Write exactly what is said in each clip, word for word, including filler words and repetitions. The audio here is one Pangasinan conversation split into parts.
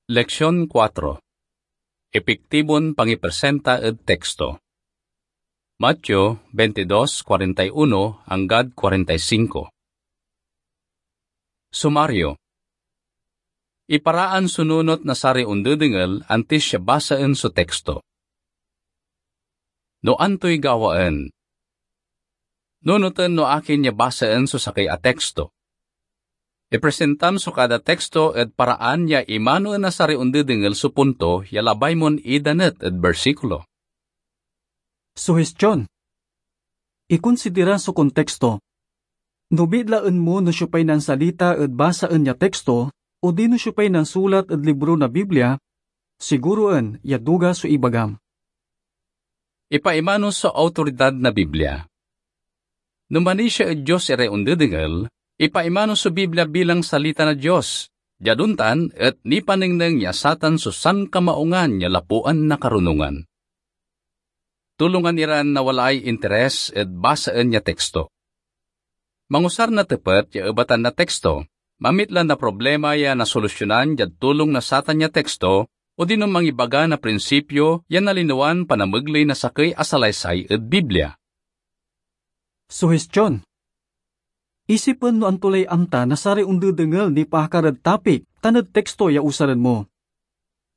Leksyon kuatro. Epektibon pangipresenta ed teksto. Mateo twenty-two, forty-one anggad forty-five. Sumaryo. Iparaan so nunot na saray ondedengel antis ya basaen so teksto. No antoy gawaen? Nunoten no akin ya basaen so sakey a teksto. Ipresentam so kada teksto ed paraan ya imanoen na saray ondedengel so punto ya labay mon idanet ed bersikulo. Suhestyon. Ikonsidera so konteksto. No bitlaen mo no siopay nansalita ed basaen ya teksto, odino siopay nansulat ed libro na Biblia, siguroen ya duga so ibagam. Ipaimano so awtoridad na Biblia. No manisia ed Dios iray ondedengel, ipaimano so Biblia bilang salita na Dios. Diad ontan et nipanengneng ya satan so sankamaungan ya lapuan na karunongan. Tulongan iran nawalaay interes ed basaen ya teksto. Mangusar na tepet ya ebatan na teksto, mamitla na problema ya nasolusyonan diad tulong na satan ya teksto, odino mangibaga na prinsipyo ya nalinawan panamegley na sakey a salaysay ed Biblia. Suhestyon. Isipen no anto lay amta na saray ondedengel nipaakar ed topic tan ed teksto ya usaren mo.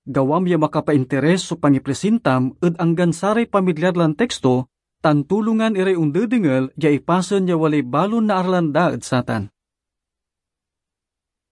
Gawam ya makapainteres so pangipresentam ed anggan saray pamilyar lan teksto tan tulongan iray ondedengel ya ipasen ya walay balon naaralan da ed satan.